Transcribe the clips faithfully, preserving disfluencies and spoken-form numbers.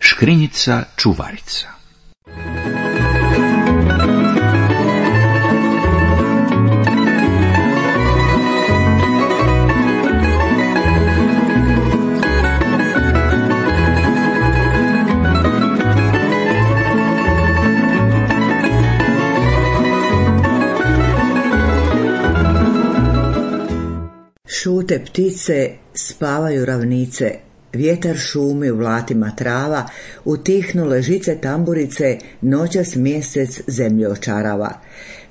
Škrinjica čuvarica. Šute ptice, spavaju ravnice, vjetar šumi u vlatima trava, utihnule žice tamburice, noćas mjesec zemlju očarava.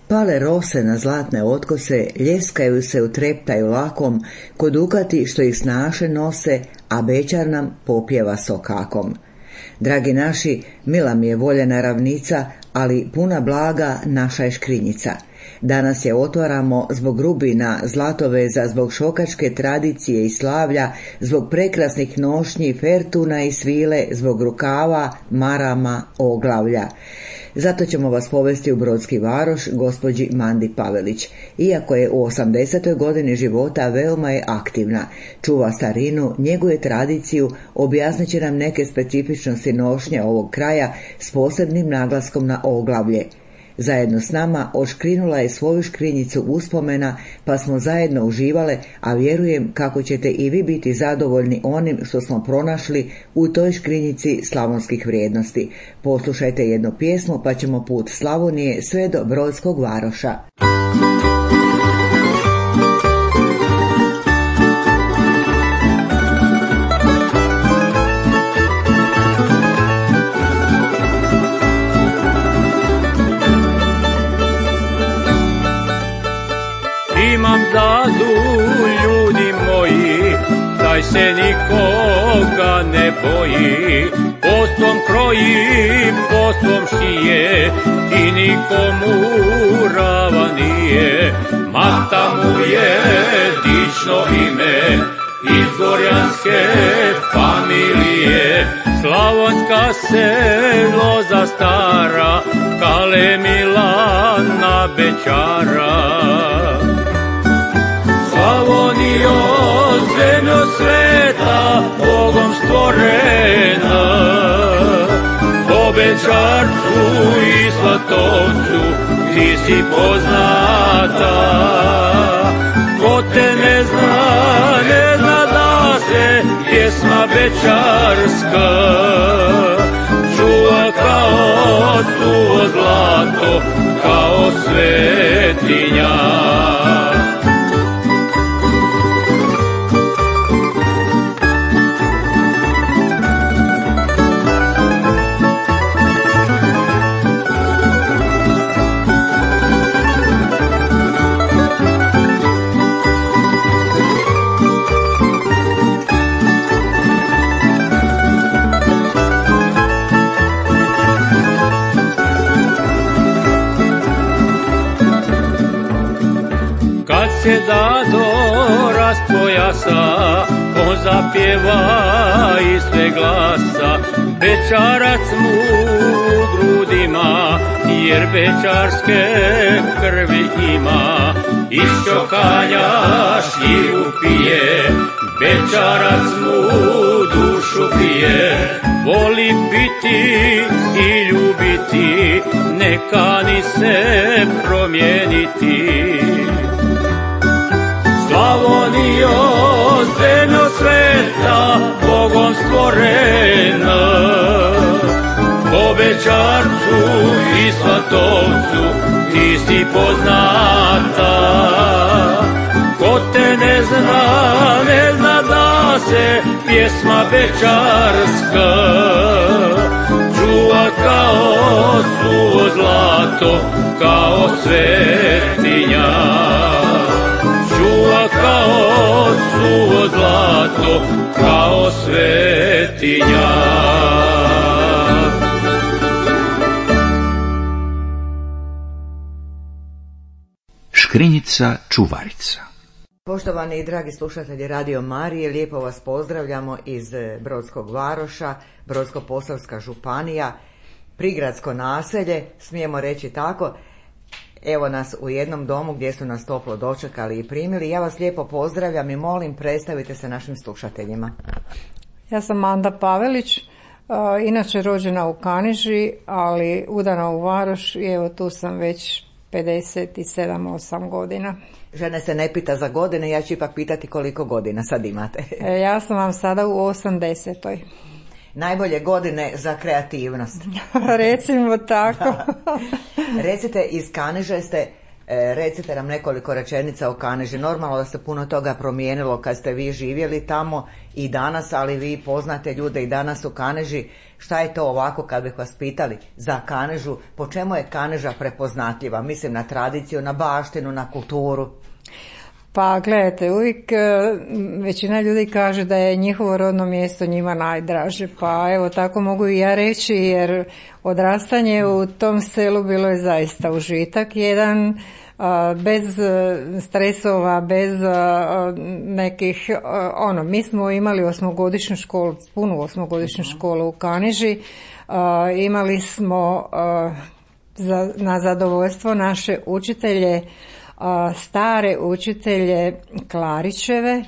Pale rose na zlatne otkose, ljeskaju se u treptaju lakom, ko dukati što ih snaše nose, a bećar nam popjeva sokakom. Dragi naši, mila mi je voljena ravnica, ali puna blaga naša je škrinjica. Danas je otvaramo zbog rubina, zlatoveza, zbog šokačke tradicije i slavlja, zbog prekrasnih nošnji, fertuna i svile, zbog rukava, marama, oglavlja. Zato ćemo vas povesti u Brodski Varoš gospođi Mandi Pavelić. Iako je u osamdesetoj godini života, veoma je aktivna. Čuva starinu, njeguje tradiciju, objasnit će nam neke specifičnosti nošnje ovog kraja s posebnim naglaskom na oglavlje. Zajedno s nama oškrinula je svoju škrinjicu uspomena, pa smo zajedno uživale, a vjerujem kako ćete i vi biti zadovoljni onim što smo pronašli u toj škrinjici slavonskih vrijednosti. Poslušajte jednu pjesmu, pa ćemo put Slavonije sve do Brodskog Varoša. Imam dadu, ljudi moji, taj se nikoga ne boji. Postom kroji, postom šije i nikomu rava nije. Mata mu je dično ime, iz gorjanske familije. Slavonska se loza stara, Kale Milana Bećara. Slavonijo, zemljo sveta, Bogom stvorena, po Bećarcu i Svatovcu ti si poznata. Ko te ne zna, ne zna da se pjesma bećarska čuva kao suvo zlato, kao svetinja. Se dado raspojasa, on zapjeva iz sve glasa. Bećarac mu u grudima, jer bećarske krvi ima. Iz čokanja širu pije, bećarac mu dušu pije. Voli biti i ljubiti, ne kani se promijeniti. Slavonijo, zemljo sveta, Bogom stvorena, po Bećarcu i Svatovcu ti si poznata. Ko te ne zna, ne zna da se pjesma bećarska čuva kao suvo zlato, kao svetinja. Čuva kao suvo zlato, kao svetinja. Škrinjica čuvarica. Poštovani i dragi slušatelji Radio Marije, lijepo vas pozdravljamo iz Brodskog Varoša, Brodsko-posavska županija, prigradsko naselje, smijemo reći tako. Evo nas u jednom domu gdje su nas toplo dočekali i primili. Ja vas lijepo pozdravljam i molim, predstavite se našim slušateljima. Ja sam Manda Pavelić, Inače rođena u Kaniži, ali udana u Varoš i evo tu sam već pedeset sedam osam godina. Žene se ne pita za godine, ja ću ipak pitati koliko godina sad imate. Ja sam vam sada u osamdesetoj. Najbolje godine za kreativnost. Recimo tako. Recite, iz Kaniže ste, recite nam nekoliko rečenica o Kaniži. Normalno da se puno toga promijenilo kad ste vi živjeli tamo i danas, ali vi poznate ljude i danas u Kaneži. Šta je to ovako kad bih vas pitali za Kanežu? Po čemu je Kaneža prepoznatljiva? Mislim na tradiciju, na baštinu, na kulturu. Pa gledajte, uvijek većina ljudi kaže da je njihovo rodno mjesto njima najdraže, pa evo tako mogu i ja reći, jer odrastanje u tom selu bilo je zaista užitak jedan, bez stresova, bez nekih, ono, mi smo imali osmogodišnju školu, punu osmogodišnju školu u Kaniži, imali smo na zadovoljstvo naše učitelje, stare učitelje Klarićeve,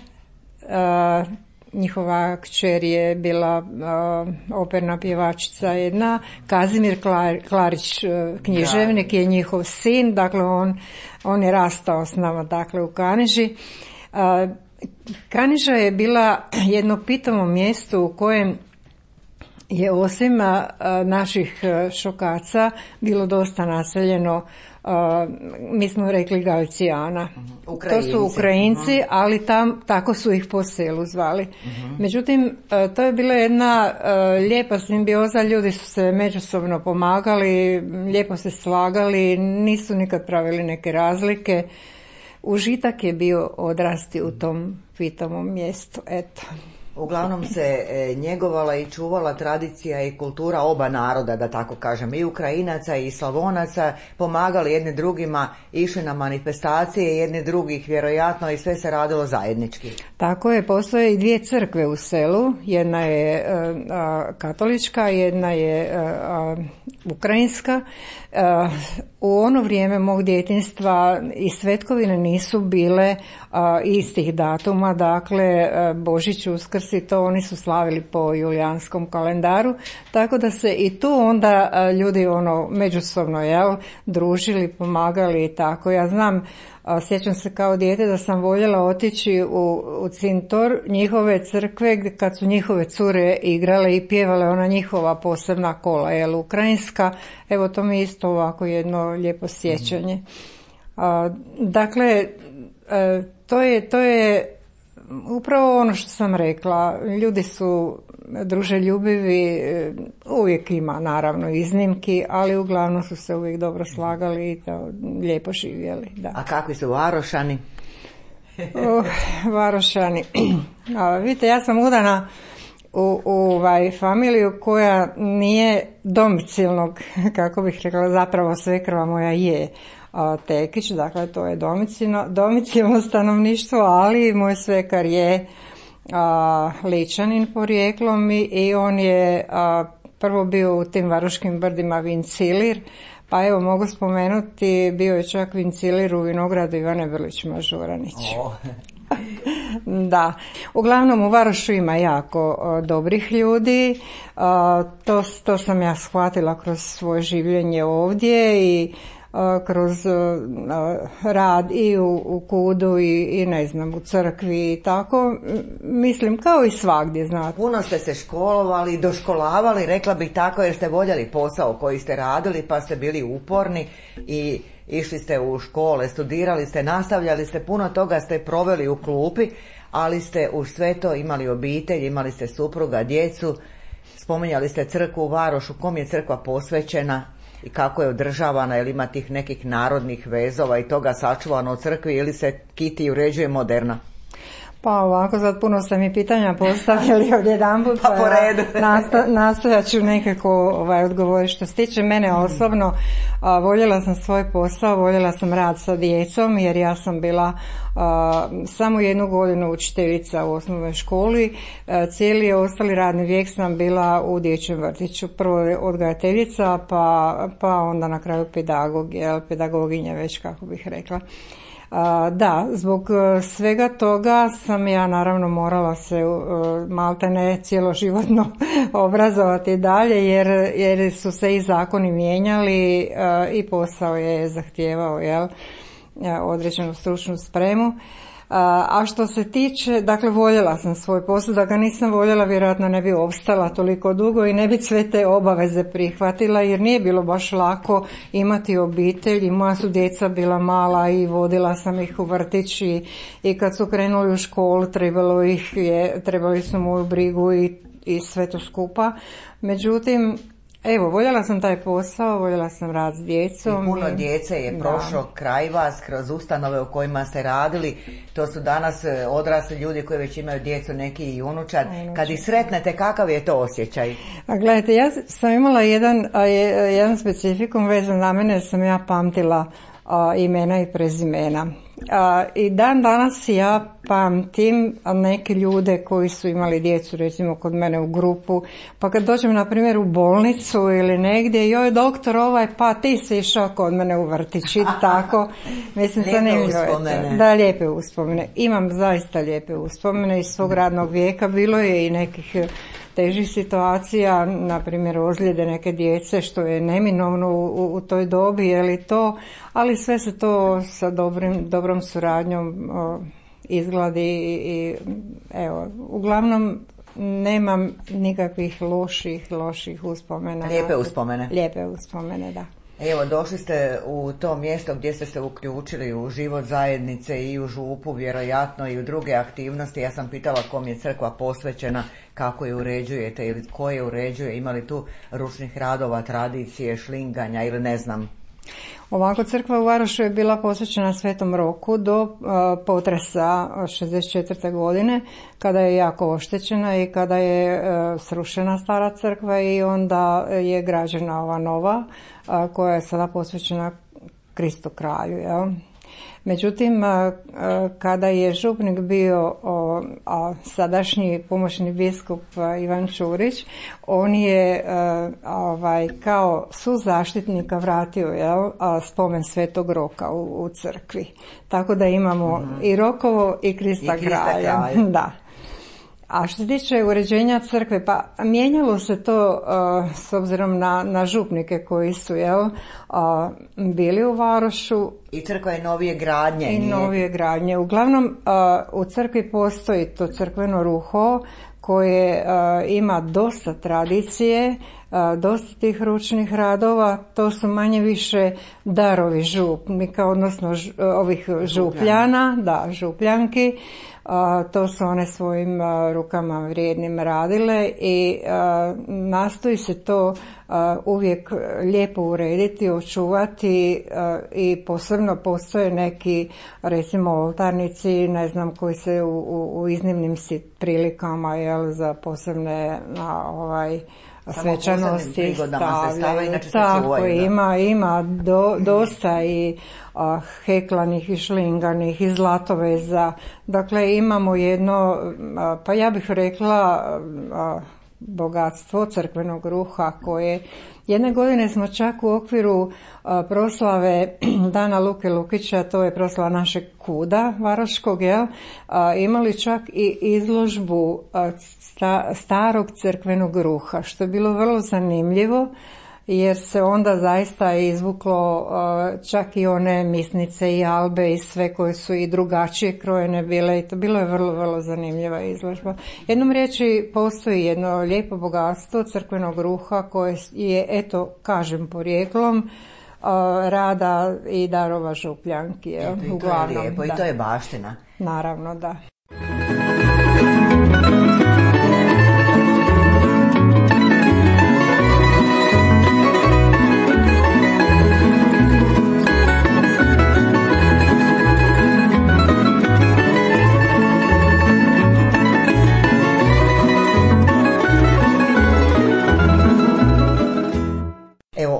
njihova kćer je bila operna pjevačica jedna, Kazimir Klarić književnik je njihov sin, dakle on, on je rastao s nama dakle u Kaniži. Kaniža je bila jedno pitamo mjesto u kojem je osim naših šokaca bilo dosta naseljeno, Uh, mi smo rekli Galcijana. Ukrajinci. To su Ukrajinci, ali tam tako su ih po selu zvali. Uh-huh. Međutim, uh, to je bila jedna uh, lijepa simbioza, ljudi su se međusobno pomagali, lijepo se slagali, nisu nikad pravili neke razlike. Užitak je bio odrasti u tom pitomom mjestu, eto. Uglavnom se e, njegovala i čuvala tradicija i kultura oba naroda, da tako kažem, i Ukrajinaca i Slavonaca, pomagali jedni drugima, išli na manifestacije jedni drugih, vjerojatno, i sve se radilo zajednički. Tako je, postoje i dvije crkve u selu, jedna je a, katolička, jedna je a, a, ukrajinska. A, u ono vrijeme mog djetinjstva i svetkovine nisu bile a, istih datuma, dakle a, Božić, Uskrs i to oni su slavili po julijanskom kalendaru, tako da se i tu onda a, ljudi ono međusobno jel, družili, pomagali i tako. Ja znam, a, sjećam se kao dijete da sam voljela otići u, u cintor njihove crkve kad su njihove cure igrale i pjevale ona njihova posebna kola, jel, ukrajinska. Evo to mi isto ovako jedno lijepo sjećanje. A, dakle, a, to je, to je upravo ono što sam rekla, ljudi su druželjubivi, uvijek ima naravno iznimki, ali uglavnom su se uvijek dobro slagali i to lijepo živjeli. Da. A kakvi su Varošani? uh, Varošani. A, vidite, ja sam udana u, u ovaj, familiju koja nije domicilnog, kako bih rekla, zapravo svekrva moja je Tekić, dakle to je domicilno, domicilno stanovništvo, ali moj svekar je a, Ličanin porijeklom i, i on je a, prvo bio u tim Varoškim brdima vincilir, pa evo mogu spomenuti, bio je čak vincilir u vinogradu Ivane Vrlić Mažuranić. Oh. Da, uglavnom u Varošu ima jako o, dobrih ljudi, o, to, to sam ja shvatila kroz svoje življenje ovdje i kroz rad i u, u kudu i, i ne znam u crkvi i tako, mislim kao i svagdje, znate. Puno ste se školovali, doškolavali, rekla bih tako, jer ste voljeli posao koji ste radili, pa ste bili uporni i išli ste u škole, studirali ste, nastavljali ste, puno toga ste proveli u klupi, ali ste uz sve to imali obitelj, imali ste supruga, djecu, spominjali ste crkvu u Varošu, kom je crkva posvećena i kako je održavana, ili ima tih nekih narodnih vezova i toga sačuvano u crkvi, ili se kiti uređuje moderna? Pa ovako, sad puno ste mi pitanja postavili odjedanput, pa po redu. Nasta, nastojat ću nekako ovaj, odgovoriti. Što se tiče mene osobno, a, voljela sam svoj posao, voljela sam rad sa djecom, jer ja sam bila a, samo jednu godinu učiteljica u osnovnoj školi, a, cijeli ostali radni vijek sam bila u dječjem vrtiću, prvo odgajateljica, pa, pa onda na kraju pedagog, jel, pedagoginja već, kako bih rekla. A, da, zbog svega toga sam ja naravno morala se maltene cjeloživotno obrazovati dalje, jer, jer su se i zakoni mijenjali a, i posao je zahtijevao, jel, određenu stručnu spremu. A što se tiče, dakle voljela sam svoj posao, da ga nisam voljela vjerojatno ne bi opstala toliko dugo i ne bi sve te obaveze prihvatila, jer nije bilo baš lako imati obitelj i moja su djeca bila mala i vodila sam ih u vrtić i, i kad su krenuli u školu trebalo ih je, trebali su moju brigu i, i sve to skupa. Međutim, evo, voljela sam taj posao, voljela sam rad s djecom. I puno djece je prošlo da. kraj vas, kroz ustanove u kojima ste radili. To su danas odrasli ljudi koji već imaju djecu, neki i unučad. Unučad. Kad ih sretnete, kakav je to osjećaj? A gledajte, ja sam imala jedan, jedan specifikum vezan na mene, sam ja pamtila a, imena i prezimena. A, I dan danas ja pamtim neke ljude koji su imali djecu recimo kod mene u grupu, pa kad dođem na primjer u bolnicu ili negdje, joj doktor ovaj, pa ti si išao kod mene u vrtić i tako. Mislim, lijepe uspomene. Da, lijepe uspomene. Imam zaista lijepe uspomene iz svog radnog vijeka, bilo je i nekih težih situacija, na primjer ozljede neke djece, što je neminovno u, u toj dobi, je li to, ali sve se to sa dobrim, dobrom suradnjom o, izgladi i, i evo, uglavnom nemam nikakvih loših, loših uspomena. Lijepe uspomene. Lijepe uspomene, da. Evo, došli ste u to mjesto gdje ste se uključili u život zajednice i u župu, vjerojatno i u druge aktivnosti. Ja sam pitala kom je crkva posvećena, kako je uređujete ili ko je uređuje, ima li tu ručnih radova, tradicije, šlinganja ili ne znam. Ovako, crkva u Varošu je bila posvećena Svetom Roku do uh, potresa šezdeset četvrte godine, kada je jako oštećena i kada je uh, srušena stara crkva i onda je građena ova nova, uh, koja je sada posvećena Kristu kralju, jel? Međutim, kada je župnik bio o, a sadašnji pomoćni biskup Ivan Čurić, on je ovaj, kao suzaštitnika vratio, jel, spomen Svetog Roka u, u crkvi. Tako da imamo mm-hmm. i Rokovo i Krista, I Krista kralja. kralja. Da. A što se tiče uređenja crkve, pa mijenjalo se to uh, s obzirom na, na župnike koji su, jel, uh, bili u Varošu. I crkva je novije gradnje. I nije... novije gradnje. Uglavnom, uh, u crkvi postoji to crkveno ruho koje uh, ima dosta tradicije, uh, dosta tih ručnih radova. To su manje više darovi župnika, odnosno ž, ovih župljana, da, župljanki. Uh, to su one svojim uh, rukama vrijednim radile i uh, nastoji se to uh, uvijek lijepo urediti, očuvati uh, i posebno postoje neki, recimo, oltarnici, ne znam, koji se u, u, u iznimnim prilikama, jel, za posebne na ovaj svečanosti stavljaju. Tako, ima, ima do, dosta i a, heklanih i šlinganih i zlatoveza. Dakle, imamo jedno, a, pa ja bih rekla, a, bogatstvo crkvenog ruha koje jedne godine smo čak u okviru a, proslave Dana Luke Lukića, to je proslava našeg kuda varoškog, jel, a, imali čak i izložbu a, sta, starog crkvenog ruha, što je bilo vrlo zanimljivo, jer se onda zaista izvuklo uh, čak i one misnice i albe i sve koje su i drugačije krojene bile i to bilo je vrlo, vrlo zanimljiva izložba. Jednom riječi, postoji jedno lijepo bogatstvo crkvenog ruha koje je, eto, kažem, porijeklom uh, rada i darova župljanki. Je, I, uglavnom, to je lijepo, da. I to je baština. Naravno, da.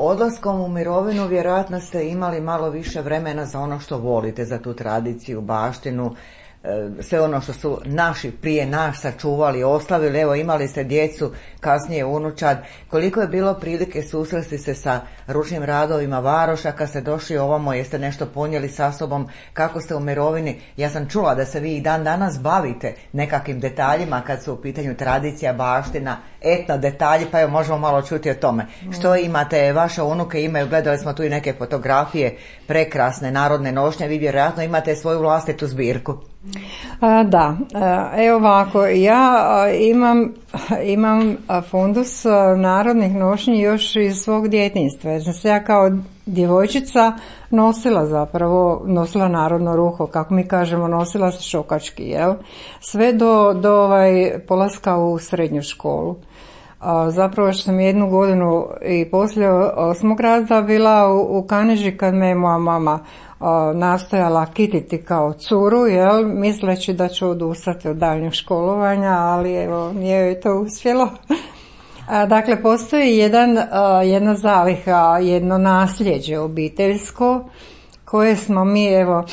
Odlaskom u mirovinu vjerojatno ste imali malo više vremena za ono što volite, za tu tradiciju, baštinu. sve ono što su naši prije nas sačuvali, ostavili, evo imali ste djecu, kasnije unučad, koliko je bilo prilike susresti se sa ručnim radovima Varoša kad ste došli ovamo, jeste nešto ponijeli sa sobom, kako ste u mirovini, ja sam čula da se vi i dan danas bavite nekakvim detaljima kad su u pitanju tradicija, baština, etno detalji, pa evo možemo malo čuti o tome. Mm. Što imate, vaše unuke imaju, gledali smo tu i neke fotografije, prekrasne narodne nošnje, vi vjerojatno imate svoju vlastitu zbirku. A, da, a, evo ovako, ja a, imam, imam fundus narodnih nošnji još iz svog djetinjstva, jer sam se ja kao djevojčica nosila zapravo, nosila narodno ruho, kako mi kažemo, nosila se šokački, jel? Sve do, do ovaj, polaska u srednju školu. A, zapravo što sam jednu godinu i poslije osmog razreda bila u, u Kaniži kad me je moja mama a, nastojala kititi kao curu, jel, misleći da ću odustati od daljnjeg školovanja, ali evo nije joj to uspjelo. A, dakle, postoji jedan, a, jedna zaliha, jedno nasljeđe obiteljsko koje smo mi evo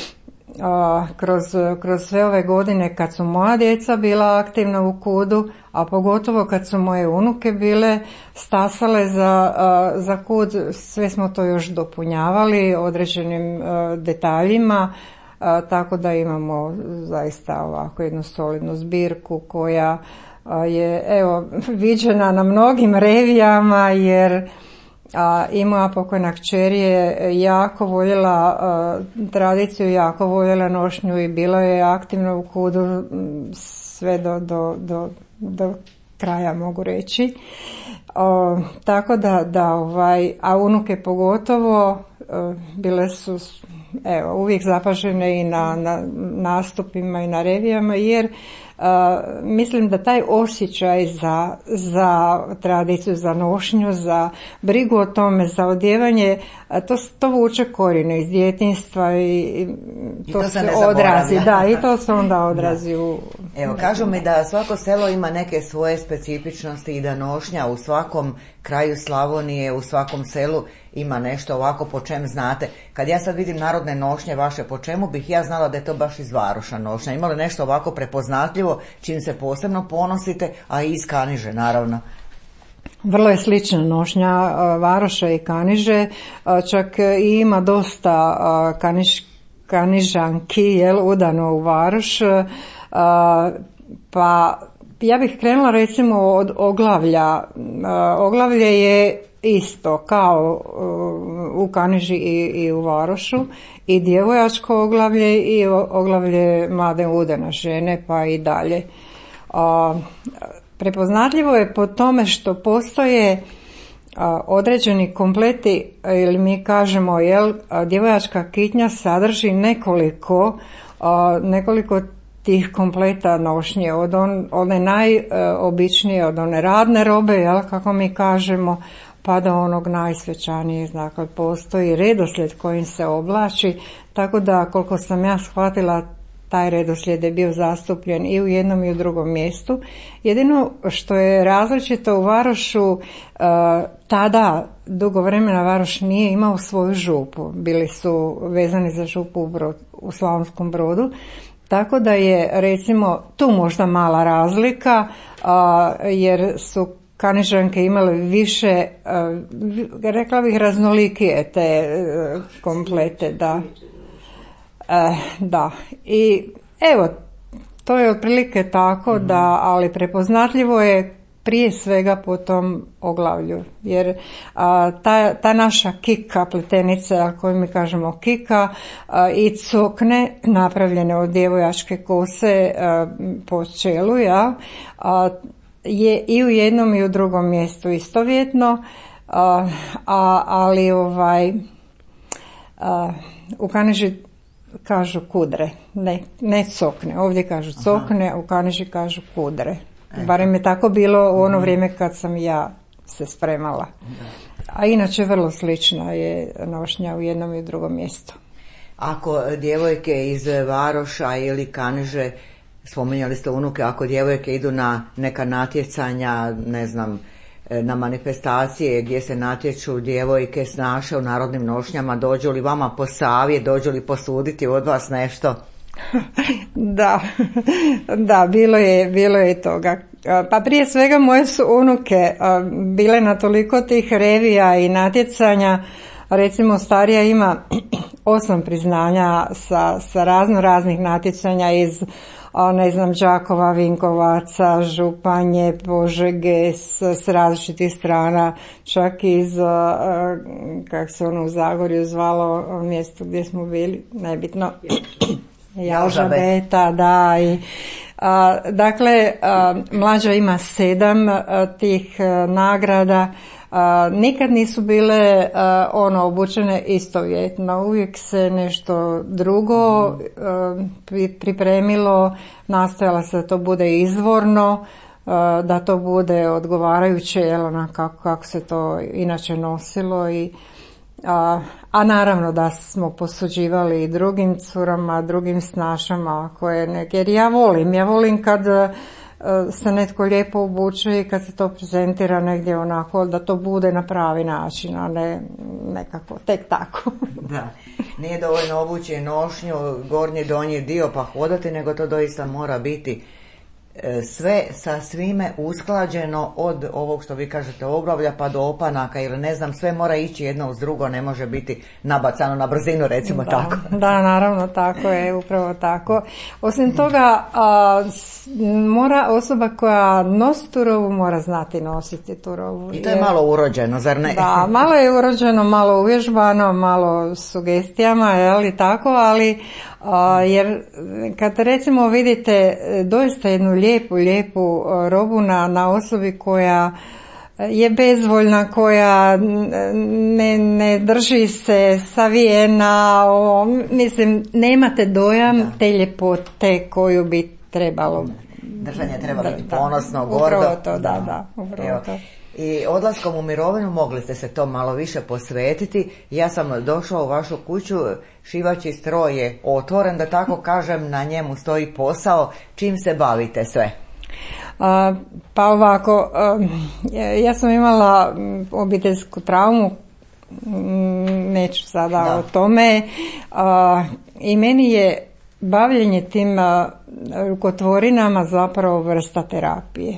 a, kroz, kroz sve ove godine kad su moja djeca bila aktivna u kudu, a pogotovo kad su moje unuke bile stasale za, a, za kud, sve smo to još dopunjavali određenim a, detaljima, a, tako da imamo zaista ovako jednu solidnu zbirku koja a, je evo viđena na mnogim revijama, jer a, i moja pokojna kćer je jako voljela a, tradiciju, jako voljela nošnju i bila je aktivna u kudu sve do, do, do, do kraja, mogu reći. O, tako da, da ovaj, a unuke pogotovo o, bile su evo uvijek zapažene i na, na nastupima i na revijama, jer Uh, mislim da taj osjećaj za, za tradiciju, za nošnju, za brigu o tome, za odjevanje, to, to vuče korijene iz djetinjstva i, i to, I to se, se odrazi. Da, i to se onda odrazi da. u... Evo, kažu mi da svako selo ima neke svoje specifičnosti i da nošnja u svakom kraju Slavonije, u svakom selu ima nešto ovako po čem znate. Kad ja sad vidim narodne nošnje vaše, po čemu bih ja znala da je to baš iz Varoša nošnja? Ima li nešto ovako prepoznatljivo čim se posebno ponosite, a i iz Kaniže naravno? Vrlo je slična nošnja Varoša i Kaniže, čak i ima dosta kaniš, kanižanki, jel, udano u Varoš, pa ja bih krenula recimo od oglavlja. Oglavlje je isto kao u Kaniži i, i u Varošu, i djevojačko oglavlje i oglavlje mlade udane žene, pa i dalje. A, prepoznatljivo je po tome što postoje a, određeni kompleti, ili mi kažemo, jel, a, djevojačka kitnja sadrži nekoliko a, nekoliko tih kompleta nošnje, od on, one najobičnije, od one radne robe, jel, kako mi kažemo, pa do onog najsvečanijeg. Dakle, postoji redoslijed kojim se oblači, tako da koliko sam ja shvatila, taj redoslijed je bio zastupljen i u jednom i u drugom mjestu. Jedino što je različito u Varošu, uh, tada dugo vremena Varoš nije imao svoju župu, bili su vezani za župu u, Brod, u Slavonskom Brodu. Tako da je recimo tu možda mala razlika, a, jer su Kanižanke imale više, a, rekla bih, raznolikije te a, komplete, da. A, da. I evo, to je otprilike tako, mm-hmm. da, ali prepoznatljivo je prije svega po tom oglavlju, jer a, ta, ta naša kika, pletenica koju mi kažemo kika, a, i cokne napravljene od djevojačke kose a, po čelu, ja, a, je i u jednom i u drugom mjestu istovjetno, a, a, ali ovaj a, u Kaniži kažu kudre, ne, ne cokne, ovdje kažu cokne, a u Kaniži kažu kudre. Barem je tako bilo u ono vrijeme kad sam ja se spremala. A inače vrlo slična je nošnja u jednom i u drugom mjestu. Ako djevojke iz Varoša ili Kaniže, spominjali ste unuke, ako djevojke idu na neka natjecanja, ne znam, na manifestacije gdje se natječu djevojke snaše u narodnim nošnjama, dođu li vama po savjet, dođu li posuditi od vas nešto? Da, da, bilo je, bilo je toga. Pa prije svega moje su unuke bile na toliko tih revija i natjecanja, recimo starija ima osam priznanja sa, sa razno raznih natjecanja iz, ne znam, Đakova, Vinkovaca, Županje, Požege, s, s različitih strana, čak iz, kako se ono u Zagorju zvalo, mjesto gdje smo bili, nebitno, Jalžabeta, da, i a, dakle, a, mlađa ima sedam a, tih a, nagrada. A, nikad nisu bile a, ono obučene istovjetno, uvijek se nešto drugo a, pripremilo, nastojala se da to bude izvorno, a, da to bude odgovarajuće, jel, ona, kako, kako se to inače nosilo i A, a naravno da smo posuđivali i drugim curama, drugim snašama koje neke, jer ja volim, ja volim kad se netko lijepo obuče i kad se to prezentira negdje onako da to bude na pravi način, a ne nekako tek tako. Da, nije dovoljno obući nošnju, gornji donji dio pa hodati, nego to doista mora biti sve sa svime usklađeno od ovog što vi kažete oglavlja pa do opanaka ili ne znam, sve mora ići jedno uz drugo, ne može biti nabacano na brzinu, recimo da, tako. Da, naravno, tako je, upravo tako. Osim toga, a, mora osoba koja nosi tu robu mora znati nositi tu robu. I to je malo urođeno, zar ne? Da, malo je urođeno, malo uvježbano, malo sugestijama, je li tako, ali a, jer kad recimo vidite doista jednu lijepu, lijepu robu na, na osobi koja je bezvoljna, koja ne, ne drži se savijena, o, mislim, nemate dojam da. Te ljepote koju bi trebalo. Držanje treba da, biti da, ponosno, gordo. Upravo to, da, da, upravo to. I odlaskom u mirovinu mogli ste se to malo više posvetiti. Ja sam došla u vašu kuću, šivaći stroj je otvoren, da tako kažem, na njemu stoji posao. Čim se bavite sve? A, pa ovako, a, ja sam imala obiteljsku traumu, neću sada da. o tome, a, i meni je bavljenje tim a, rukotvorinama zapravo vrsta terapije.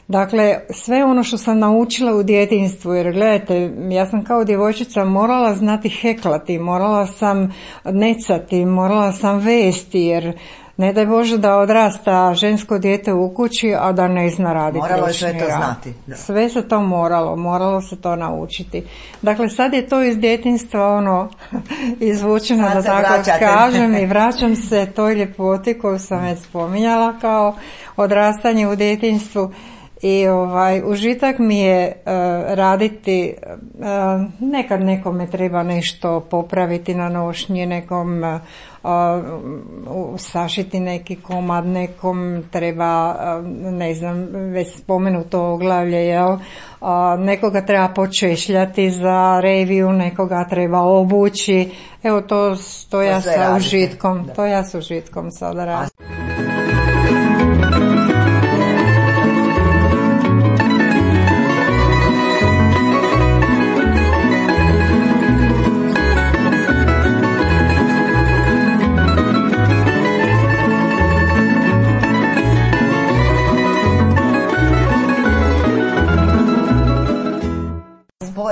Dakle, sve ono što sam naučila u djetinjstvu, jer gledajte, ja sam kao djevojčica morala znati heklati, morala sam necati, morala sam vesti, jer ne daj Bože da odrasta žensko dijete u kući, a da ne zna raditi. Moralo je sve to znati. Da. Sve se to moralo, moralo se to naučiti. Dakle, sad je to iz djetinjstva ono izvučeno, da tako vraćate. kažem, i vraćam se toj ljepoti koju sam već spominjala kao odrastanje u djetinjstvu. I ovaj užitak mi je uh, raditi, uh, nekad nekome treba nešto popraviti na nošnji, nekom uh, sašiti neki komad, nekom treba, uh, ne znam, već spomenuto oglavlje, jel? Uh, nekoga treba počešljati za reviju, nekoga treba obući. Evo to, to, to ja sa radite. užitkom, da. to ja sa užitkom sada radim.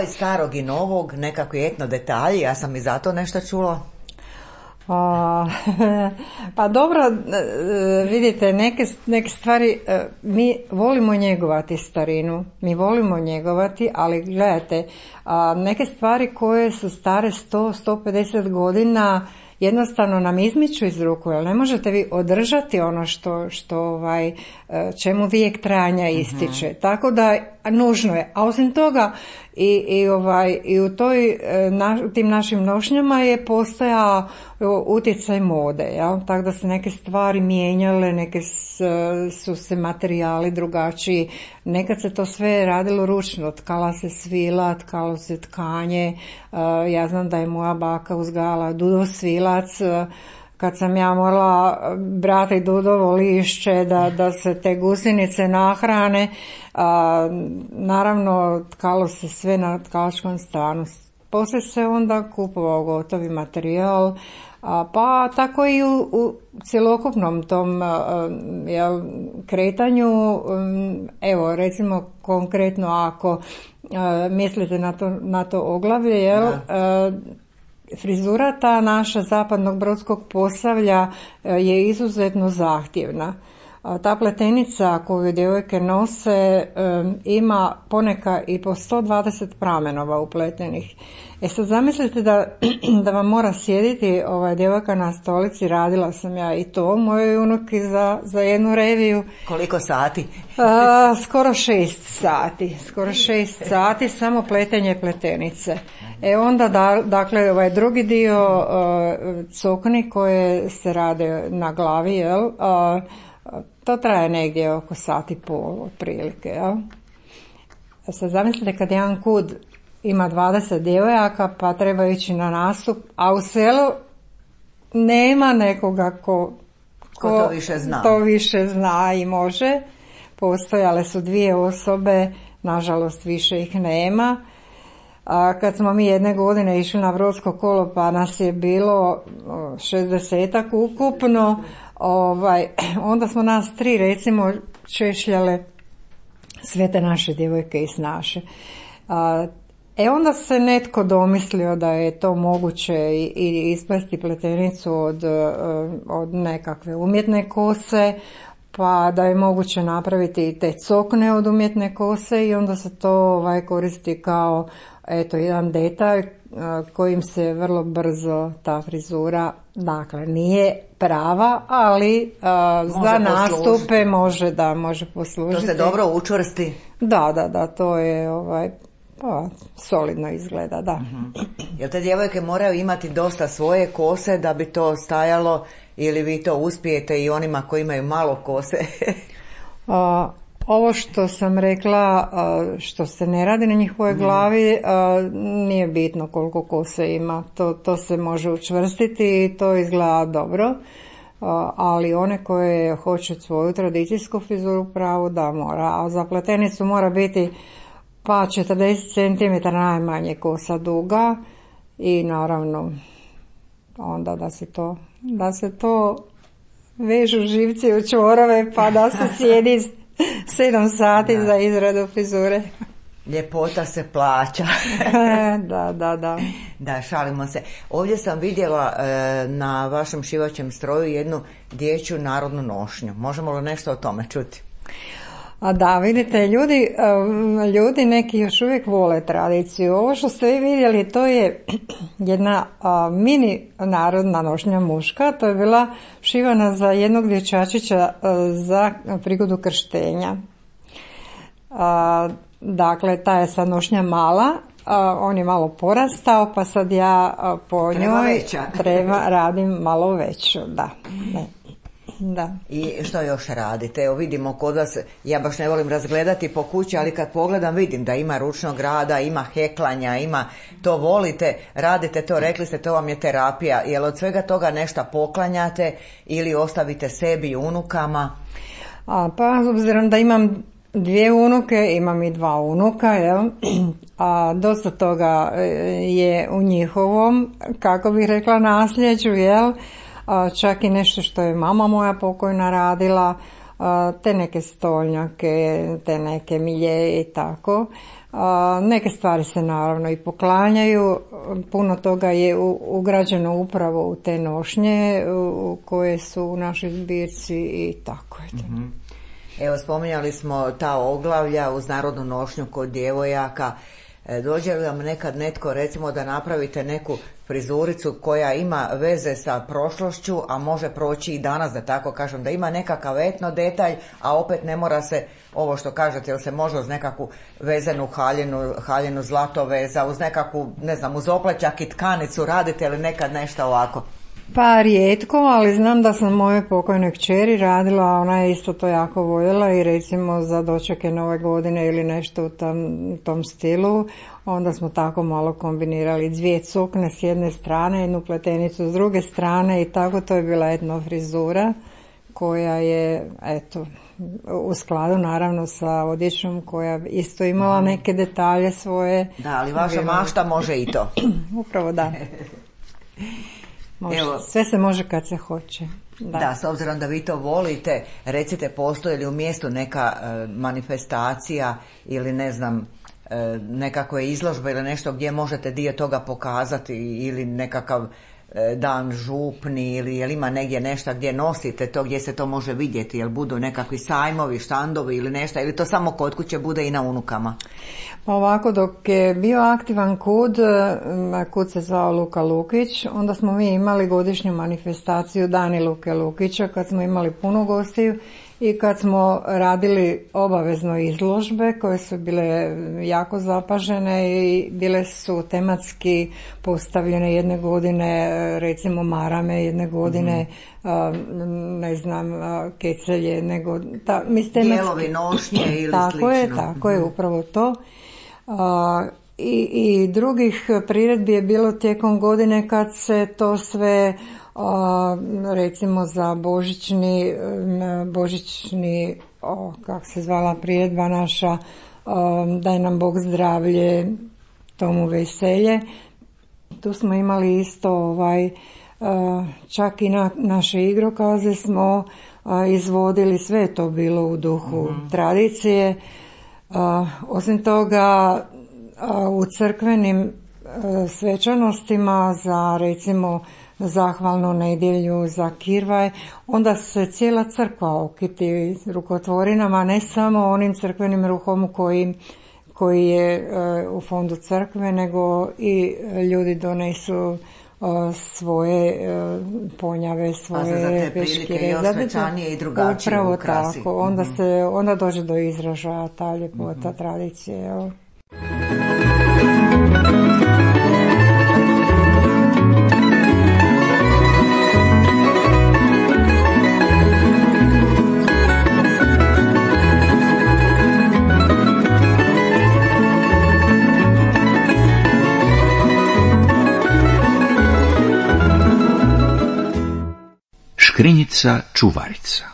Starog i novog, nekakvi etno detalji, ja sam i zato nešto čula. A, pa dobro, vidite, neke, neke stvari, mi volimo njegovati starinu, mi volimo njegovati, ali gledajte, neke stvari koje su stare sto do sto pedeset godina jednostavno nam izmiču iz ruku, jer ne možete vi održati ono što, što ovaj, čemu vijek trajanja ističe. Uh-huh. Tako da nužno je. A osim toga i, i, ovaj, i u toj, na, tim našim nošnjama je postojao utjecaj mode. Ja? Tako da se neke stvari mijenjale, neke s, su se materijali drugačiji. Nekad se to sve radilo ručno. Tkala se svila, tkalo se tkanje. Ja znam da je moja baka uzgajala dudo svilac. Kad sam ja morala brati dudovo lišće da, da se te gusjenice nahrane, a, naravno tkalo se sve na tkalačkom stanu. poslije se onda kupovao gotovi materijal, a, pa tako i u, u cjelokupnom tom a, jel, kretanju, um, evo recimo konkretno ako a, mislite na to, na to oglavlje, jel, a, frizura ta naša zapadnog brodskog Posavlja je izuzetno zahtjevna. Ta pletenica koju djevojke nose um, ima poneka i po sto dvadeset pramenova upletenih. E sad zamislite da, da vam mora sjediti ovaj, djevojka na stolici, radila sam ja i to mojoj unuki za, za jednu reviju. Koliko sati? A, skoro šest sati, skoro šest sati samo pletenje pletenice. E onda da, dakle ovaj drugi dio uh, cokni koje se rade na glavi, jel, uh, to traje negdje oko sati i pol otprilike, jel? Sad zamislite kad jedan kud ima dvadeset djevojaka pa treba ići na nastup, a u selu nema nekoga ko, ko, ko to više zna. To više zna i može. Postojale su dvije osobe, nažalost više ih nema. A kad smo mi jedne godine išli na brodsko kolo pa nas je bilo šezdesetak ukupno, ovaj, onda smo nas tri recimo češljale sve te naše djevojke i snaše. A, E onda se netko domislio da je to moguće i, i isplesti pletenicu od, od nekakve umjetne kose, pa da je moguće napraviti te cokne od umjetne kose i onda se to ovaj, koristi kao eto jedan detalj kojim se vrlo brzo ta frizura, dakle nije prava, ali a, za nastupe može da može poslužiti. To se dobro učvrsti. Da, da, da, to je ovaj pa, solidno izgleda, da. Uh-huh. Jel te djevojke moraju imati dosta svoje kose da bi to stajalo ili vi to uspijete i onima koji imaju malo kose? A, ovo što sam rekla, a, što se ne radi na njihovoj mm. glavi, a, nije bitno koliko kose ima. To, to se može učvrstiti i to izgleda dobro. A, ali one koje hoće svoju tradicijsku frizuru pravu, da mora. A za pletenicu mora biti pa četrdeset centimetara najmanje kosa duga i naravno onda da se to, da se to vežu živci u čvorove pa da se sjedi sedam sati da. Za izradu frizure. Ljepota se plaća. Da, da, da. Da, šalimo se. Ovdje sam vidjela e, na vašem šivaćem stroju jednu dječju narodnu nošnju. Možemo li nešto o tome čuti? A da, vidite, ljudi, ljudi neki još uvijek vole tradiciju. Ovo što ste vi vidjeli, to je jedna a, mini narodna nošnja muška. To je bila šivana za jednog dječačića a, za prigodu krštenja. A, dakle, ta je sad nošnja mala, a, on je malo porastao, pa sad ja a, po treba njoj veća. treba radim malo veću, da. Ne. Da. I što još radite? Evo vidimo kod vas, ja baš ne volim razgledati po kući, ali kad pogledam vidim da ima ručnog rada, ima heklanja, ima to volite, radite to, rekli ste to vam je terapija. Jel od svega toga nešto poklanjate ili ostavite sebi i unukama? A, pa obzirom da imam dvije unuke, imam i dva unuka, jel? A dosta toga je u njihovom, kako bih rekla, nasljeđu, jel? Čak i nešto što je mama moja pokojna radila, te neke stolnjake, te neke milje i tako. Neke stvari se naravno i poklanjaju, puno toga je ugrađeno upravo u te nošnje koje su u našoj zbirci i tako je. Mm-hmm. Evo, spominjali smo ta oglavlja uz narodnu nošnju kod djevojaka. Dođe li vam nekad netko, recimo, da napravite neku frizuricu koja ima veze sa prošlošću, a može proći i danas, da tako kažem, da ima nekakav etno detalj, a opet ne mora se, ovo što kažete, jel se može uz nekakvu vezenu haljinu, haljinu zlatoveza, uz nekakvu, ne znam, uz oplećak i tkanicu, radite li nekad nešto ovako? Pa rijetko, ali znam da sam moje pokojne kćeri radila, ona je isto to jako voljela i recimo za dočeke nove godine ili nešto u tom, tom stilu, onda smo tako malo kombinirali dvije cukne s jedne strane, jednu pletenicu s druge strane i tako to je bila etno frizura koja je, eto, u skladu naravno sa odjećom koja isto imala neke detalje svoje. Da, ali vaša mašta može i to. Upravo da. Može. Evo, sve se može kad se hoće. Da. Da, s obzirom da vi to volite, recite, postoji li u mjestu neka e, manifestacija ili ne znam, e, nekakve izložbe ili nešto gdje možete dio toga pokazati ili nekakav e, dan župni ili jel ima negdje nešto gdje nosite to, gdje se to može vidjeti, jel budu nekakvi sajmovi, štandovi ili nešto, ili to samo kod kuće bude i na unukama? Pa ovako, dok je bio aktivan kud, kud se zvao Luka Lukić, onda smo mi imali godišnju manifestaciju Dani Luke Lukića, kad smo imali puno gostiju i kad smo radili obavezno izložbe koje su bile jako zapažene i bile su tematski postavljene jedne godine, recimo marame, jedne godine mm-hmm. ne znam, kecelje, nego ta, dijelovi nošnje ili tako slično. Je, tako je, upravo to. A, i, i drugih priredbi je bilo tijekom godine kad se to sve a, recimo za božićni božićni o, kako se zvala priredba naša, a, daj nam Bog zdravlje, tomu veselje, tu smo imali isto ovaj a, čak i na naše igrokaze smo a, izvodili, sve je to bilo u duhu mm-hmm. tradicije. Uh, osim toga, uh, u crkvenim uh, svečanostima za recimo zahvalnu nedjelju, za Kirvaj, onda se cijela crkva okiti rukotvorinama, ne samo onim crkvenim ruhom koji, koji je uh, u fondu crkve, nego i ljudi donesu svoje ponjave, svoje peškire, za svečanije i drugačije upravo ukrasi. Tako, onda mm-hmm. se onda dođe do izražaja ta ljepota mm-hmm. tradicije. Jel? Škrinjica čuvarica.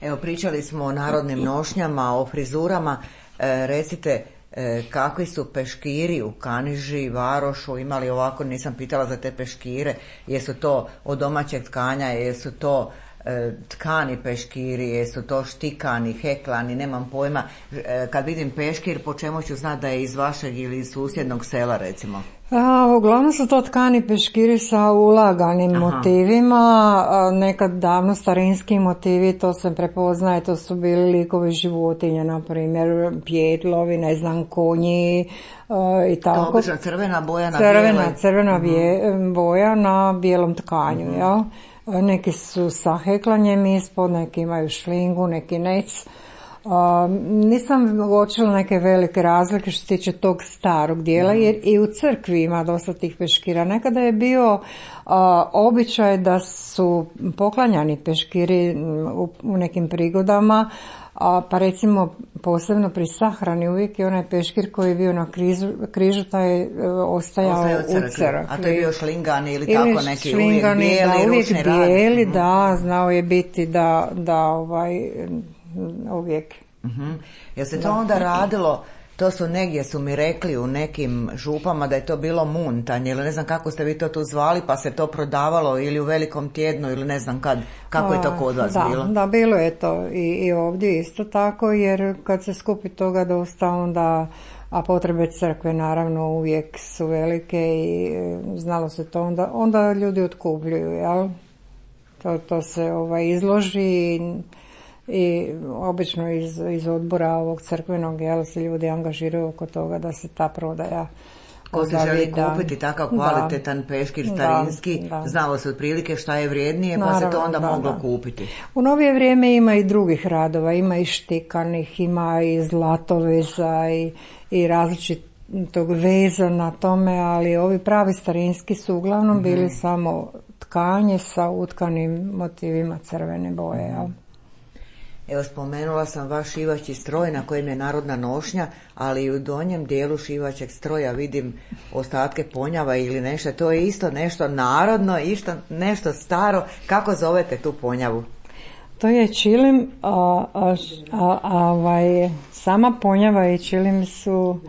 Evo, pričali smo o narodnim nošnjama, o frizurama. E, recite, e, kakvi su peškiri u Kaniži, Varošu, imali ovako, nisam pitala za te peškire, jesu to od domaćeg tkanja, jesu to e, tkani peškiri, jesu to štikani, heklani, nemam pojma. E, kad vidim peškir, po čemu ću znati da je iz vašeg ili iz susjednog sela, recimo? A, uglavnom su to tkani peškiri sa ulaganim Aha. motivima, a, nekad davno starinski motivi, to se prepoznaje, to su bili likovi životinja, na primjer pjetlovi, ne znam, konji a, i tako. To obično crvena boja na crvena, bijeloj. Crvena uh-huh. boja na bijelom tkanju, uh-huh. jel? Neki su sa heklanjem ispod, neki imaju šlingu, neki nec. Uh, nisam uočila neke velike razlike što se tiče tog starog dijela, jer i u crkvi ima dosta tih peškira. Nekada je bio uh, običaj da su poklanjani peškiri u, u nekim prigodama, uh, pa recimo posebno pri sahrani uvijek je onaj peškir koji je bio na križu, križu taj uh, ostajao Ostaje u crkvi. crkvi. A to je bio šlingan ili, ili tako neki šlingani, uvijek bijeli, da, uvijek ručni bijeli, rad. da, znao je biti da, da ovaj... uvijek. Uh-huh. Jel se to da. onda radilo, to su negdje su mi rekli u nekim župama da je to bilo muntanje ili ne znam kako ste vi to tu zvali, pa se to prodavalo ili u velikom tjednu ili ne znam kad, kako je to kod vas da, bilo? Da, bilo je to i, i ovdje isto tako, jer kad se skupi toga dosta onda, a potrebe crkve naravno uvijek su velike i znalo se to, onda, onda ljudi otkupljuju, jel? To, to se ovaj, izloži i i obično iz, iz odbora ovog crkvenog, jel, se ljudi angažiraju oko toga da se ta prodaja ko se želi kupiti takav kvalitetan da, peškir starinski, da, da. znalo se otprilike šta je vrijednije, pa Naravno, se to onda da, moglo da. kupiti. U novije vrijeme ima i drugih radova, ima i štikanih, ima i zlatoveza i, i različitog veza na tome, ali ovi pravi starinski su uglavnom mm-hmm. bili samo tkanje sa utkanim motivima crvene boje, jel? Evo, spomenula sam vaš šivaći stroj na kojem je narodna nošnja, ali i u donjem dijelu šivaćeg stroja vidim ostatke ponjava ili nešto. To je isto nešto narodno, isto nešto staro. Kako zovete tu ponjavu? To je čilim, a, a, a, a ovaj, sama ponjava i čilim su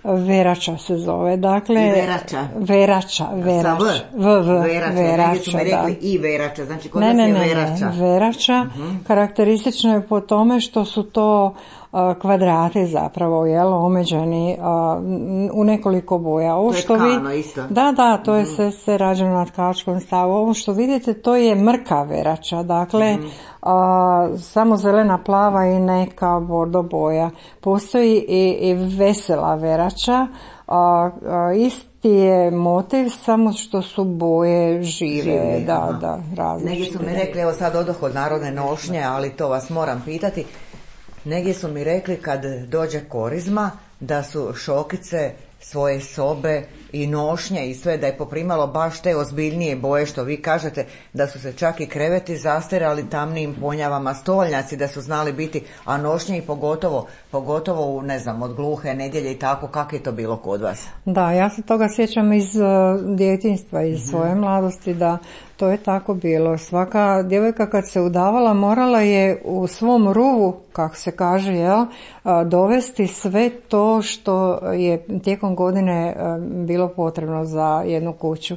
verača se zove, dakle... I verača. Verača, verača. V, v, verača, verača su mi rekli da. i verača, znači kod ne, nas ne, je ne, verača. Ne, verača, uh-huh. Karakteristično je po tome što su to a, kvadrati zapravo, jel, omeđeni a, u nekoliko boja. Ovo to je što tkano vi, isto. Da, da, to je uh-huh. sve, sve rađeno na tkačkom stavu. Ovo što vidite, to je mrka verača, dakle, uh-huh. a, samo zelena, plava i neka bordo boja. Postoji i, i vesela verača, a, a, isti je motiv, samo što su boje žive, žive da, aha. da, različite. Negdje su mi rekli, evo sad odoh od narodne nošnje, ali to vas moram pitati, negdje su mi rekli kad dođe korizma, da su šokice svoje sobe i nošnje i sve, da je poprimalo baš te ozbiljnije boje što vi kažete, da su se čak i kreveti zastirali tamnijim ponjavama, stolnjaci da su znali biti, a nošnje i pogotovo, pogotovo ne znam, od gluhe nedjelje i tako, kako je to bilo kod vas? Da, ja se toga sjećam iz uh, djetinjstva, iz mm-hmm. svoje mladosti, da to je tako bilo. Svaka djevojka kad se udavala morala je u svom ruvu, kako se kaže, jel, dovesti sve to što je tijekom godine bilo potrebno za jednu kuću.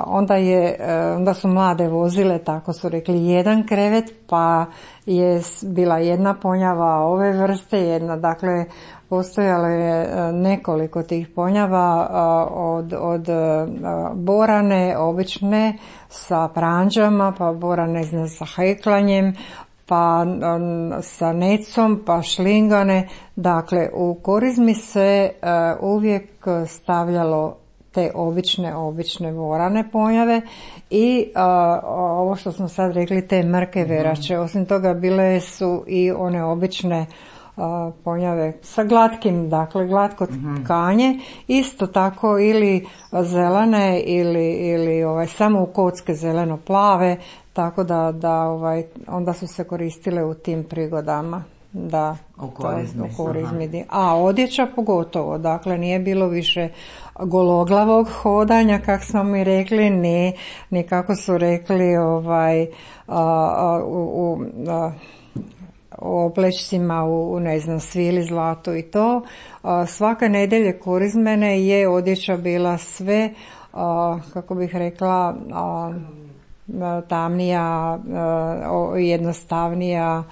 Onda, je, onda su mlade vozile, tako su rekli, jedan krevet, pa je bila jedna ponjava ove vrste, jedna, dakle, postojalo je nekoliko tih ponjava od, od borane, obične, sa pranđama, pa borane sa heklanjem, pa sa necom, pa šlingane. Dakle, u korizmi se uvijek stavljalo te obične, obične vorane ponjave i a, ovo što smo sad rekli, te mrke verače. Osim toga bile su i one obične a, ponjave sa glatkim, dakle glatko tkanje, isto tako ili zelene ili, ili ovaj, samo u kocke zeleno-plave, tako da, da ovaj, onda su se koristile u tim prigodama. Da, u korizmi. U korizmi. A odjeća pogotovo, dakle nije bilo više gologlavog hodanja, kako smo mi rekli, ne, ni kako su rekli ovaj, a, a, u, u, a, u oplečcima, u, ne znam, svili, zlato i to. A, svaka nedjelje korizmene je odjeća bila sve, a, kako bih rekla, a, tamnija, a, jednostavnija,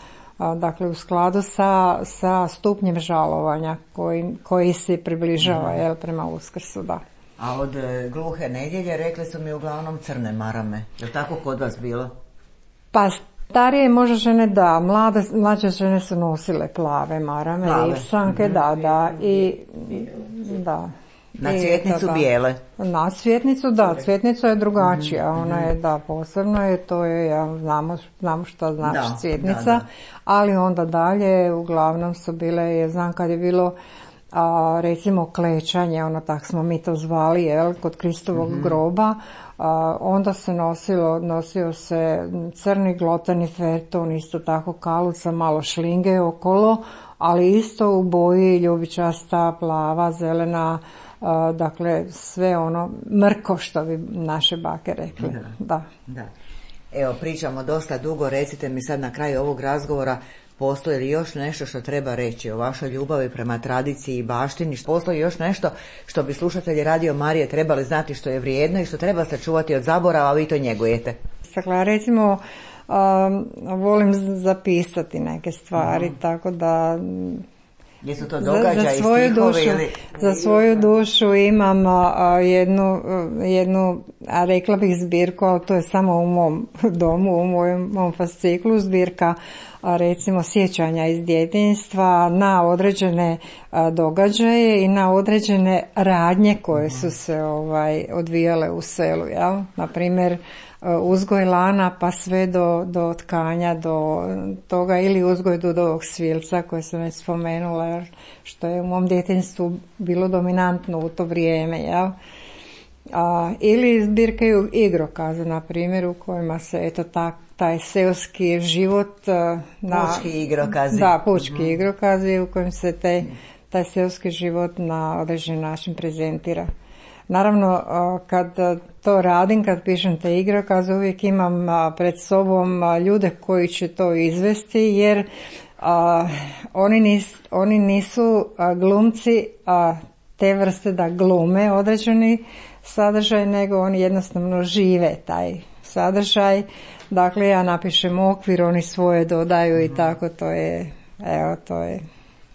dakle u skladu sa, sa stupnjem žalovanja koji, koji se približava jel, prema Uskrsu, da. A od e, gluhe nedjelje rekli su mi uglavnom crne marame. Je li tako kod vas bilo? Pa starije možda žene da, mlade, mlađe žene su nosile plave marame, plave. I sanke, mm-hmm. da, da, i da. Na cvjetnicu bijele? Na cvjetnicu, da, cvjetnica je drugačija, mm-hmm. ona je, da, posebno je, to je, ja, znamo, znamo što znači da, cvjetnica, da, da. Ali onda dalje, uglavnom su bile, ja znam kad je bilo, a, recimo klečanje, ono tak smo mi to zvali, jel, kod Kristovog mm-hmm. groba, a, onda se nosilo, nosio se crni glotani ferton, isto tako kaluca, malo šlinge okolo, ali isto u boji ljubičasta, plava, zelena, Uh, dakle sve ono mrko što bi naše bake rekli. Da. Da. Da. Evo, pričamo dosta dugo, recite mi sad na kraju ovog razgovora, postoji li još nešto što treba reći o vašoj ljubavi prema tradiciji i baštini? Postoji još nešto što bi slušatelji Radio Marije trebali znati što je vrijedno i što treba sačuvati od zaborava, a vi to njegujete? Dakle, recimo um, volim zapisati neke stvari, uh-huh. tako da jesu to događaji, za, za svoju dušu, ili... za svoju dušu imam a, jednu, jednu, a rekla bih zbirku, ali to je samo u mom domu, u mojom, mom fasciklu, zbirka a, recimo sjećanja iz djetinjstva na određene a, događaje i na određene radnje koje su se ovaj, odvijale u selu, jel? Na primjer, uzgoj lana pa sve do, do tkanja, do toga, ili uzgoj dudovog svilca koje sam već spomenula, što je u mom djetinjstvu bilo dominantno u to vrijeme, jel? A, ili zbirke igrokaza, na primjer, u kojima se eto tak, taj seoski život na, pučki igrokazi. Da, pučki mm-hmm. igrokazi u kojem se te, taj seoski život na određen način prezentira. Naravno, kad to radim, kad pišem te igrokaze, uvijek imam pred sobom ljude koji će to izvesti, jer a, oni, nis, oni nisu a, glumci a, te vrste da glume određeni sadržaj, nego oni jednostavno žive taj sadržaj. Dakle, ja napišem okvir, oni svoje dodaju i tako, to je, evo, to je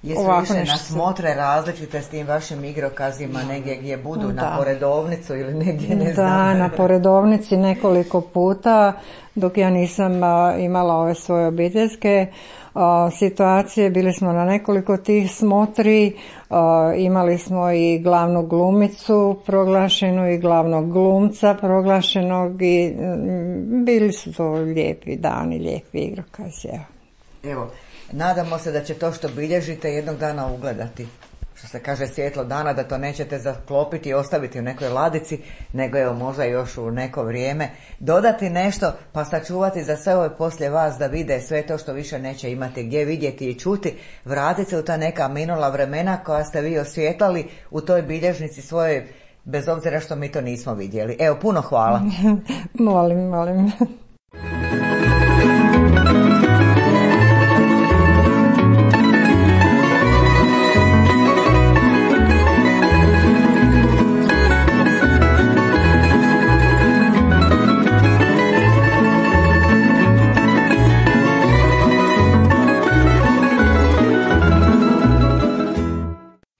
Jesu više na smotre različite s tim vašim igrokazima, negdje gdje budu, da. Na poredovnicu ili negdje, ne znam? Da, na poredovnici nekoliko puta, dok ja nisam a, imala ove svoje obiteljske a, situacije, bili smo na nekoliko tih smotri, a, imali smo i glavnu glumicu proglašenu i glavnog glumca proglašenog i m, bili su to lijepi dani, lijepi igrokazi. Evo. Evo. Nadamo se da će to što bilježite jednog dana ugledati, što se kaže svjetlo dana, da to nećete zaklopiti i ostaviti u nekoj ladici, nego evo možda još u neko vrijeme dodati nešto pa sačuvati za sve ove poslije vas da vide sve to što više neće imati gdje vidjeti i čuti, vratiti se u ta neka minula vremena koja ste vi osvjetlali u toj bilježnici svojoj, bez obzira što mi to nismo vidjeli. Evo, puno hvala. Molim, molim.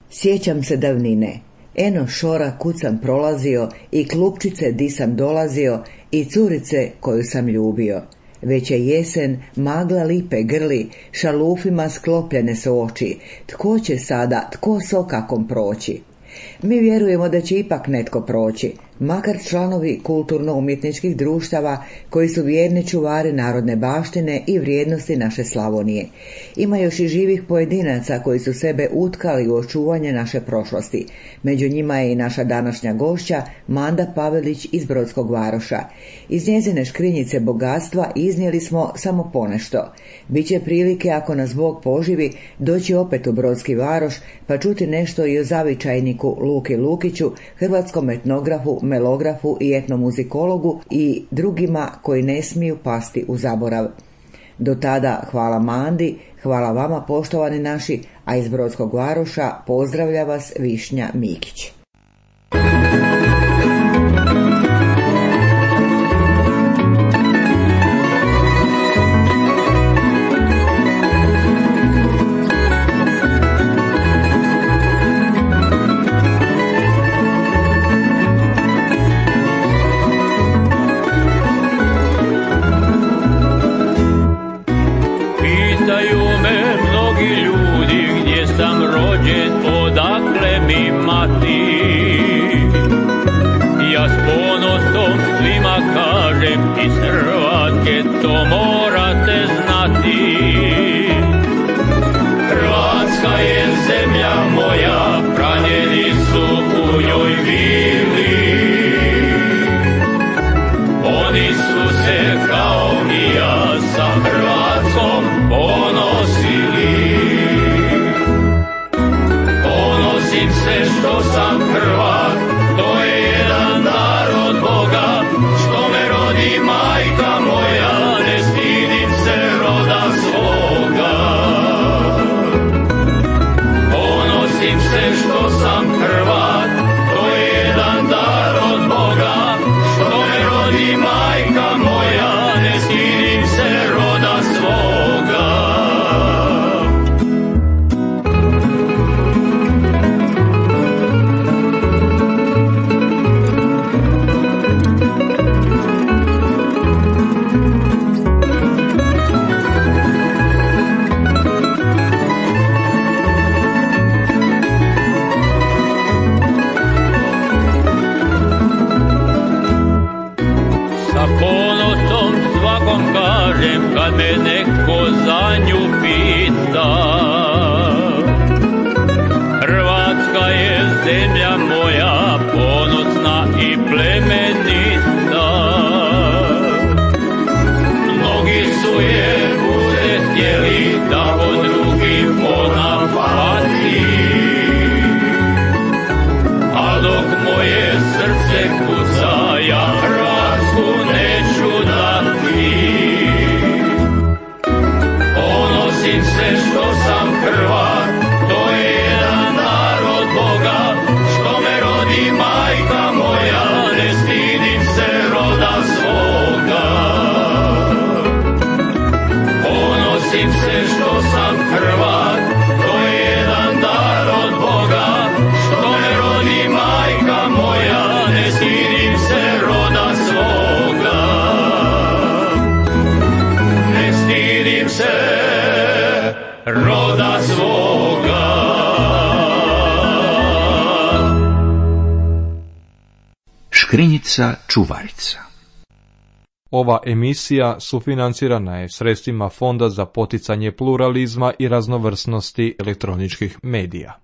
Sjećam se davnine, eno šora kud sam prolazio i klupčice di sam dolazio i curice koju sam ljubio. Već je jesen, magla lipe grli, šalufima sklopljene su oči. Tko će sada, tko s okakom proći? Mi vjerujemo da će ipak netko proći, makar članovi kulturno-umjetničkih društava koji su vjerni čuvari narodne baštine i vrijednosti naše Slavonije. Ima još i živih pojedinaca koji su sebe utkali u očuvanje naše prošlosti. Među njima je i naša današnja gošća Manda Pavelić iz Brodskog Varoša. Iz njezine škrinjice bogatstva iznijeli smo samo ponešto. Biće prilike, ako nas Bog poživi, doći opet u Brodski Varoš pa čuti nešto i o zavičajniku Luki Lukiću, hrvatskom etnografu, melografu i etnomuzikologu i drugima koji ne smiju pasti u zaborav. Do tada hvala Mandi, hvala vama poštovani naši, a iz Brodskog Varoša pozdravlja vas Višnja Mikić. To morate znati, Hrvatska je zemlja moja, pranjeni su u njoj bili. Oni su se kao i ja sa Hrvatskom ponosili. Ponosim se što sam Hrvat, to je jedan dar od Boga, što me rodi majka moja. Što sam Hrvat, to je jedan dar od Boga, što me rodi majka moja, ne stidim se roda svoga. Kad me neko za nju pita, Hrvatska je zemlja moja, ponosna i plemenita. Mnogi su je uzet htjeli da od drugih ona pati, a dok moje Škrinjica čuvarica. Ova emisija sufinancirana je sredstvima Fonda za poticanje pluralizma i raznovrsnosti elektroničkih medija.